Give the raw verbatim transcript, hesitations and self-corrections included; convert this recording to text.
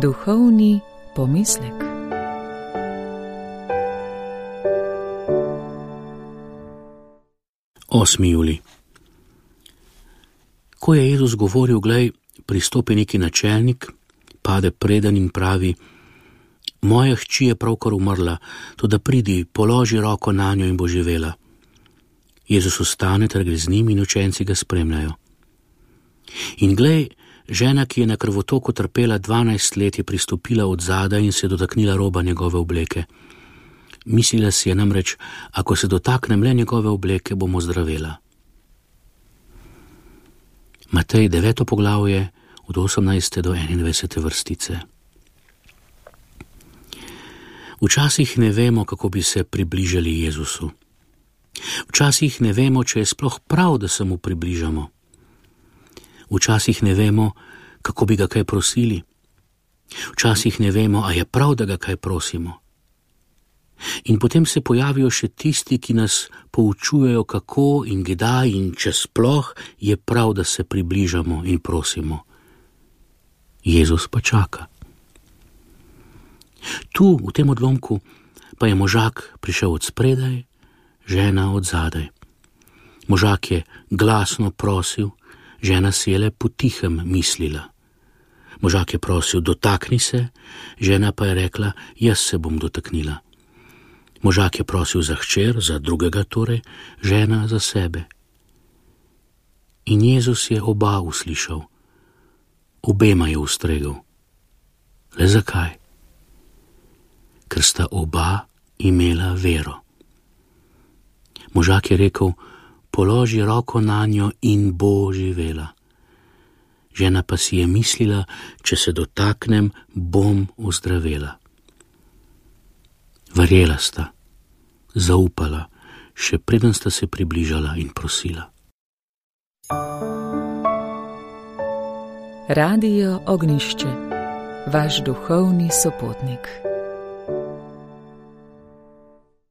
Duhovni pomislek. osmi julij. Ko je Jezus govoril, glej, pristopi neki načelnik, pade preden in pravi: moja hči je pravkar umrla, toda pridi, položi roko nanjo in bo živela. Jezus ostane ter gre z njim in učenci ga spremljajo. In glej, žena, ki je na krvotoku trpela dvanajst let, je pristopila od zadaj in se dotaknila roba njegove obleke. Mislila si je namreč, ako se dotaknem le njegove obleke, bomo zdravela. Matej deveto poglavje od osemnajste do enaindvajsete vrstice. Včasih ne vemo, kako bi se približali Jezusu. Včasih ne vemo, če je sploh prav, da se mu približamo. Včasih ne vemo, kako bi ga kaj prosili. Včasih ne vemo, a je prav, da ga kaj prosimo. In potem se pojavijo še tisti, ki nas poučujejo, kako in kdaj in če sploh je prav, da se približamo in prosimo. Jezus pa čaka. Tu, v tem odlomku, pa je možak prišel od spredaj, žena od zadaj. Možak je glasno prosil, žena si je le potihem mislila. Možak je prosil, dotakni se, žena pa je rekla, jaz se bom dotaknila. Možak je prosil za hčer, za drugega torej, žena za sebe. In Jezus je oba uslišal, obema je ustregel. Le zakaj? Ker sta oba imela vero. Možak je rekel, položi roko nanjo in bo živela. Žena pa si je mislila, če se dotaknem, bom ozdravela. Verjela sta, zaupala, še preden sta se približala in prosila. Radio Ognjišče, vaš duhovni sopotnik.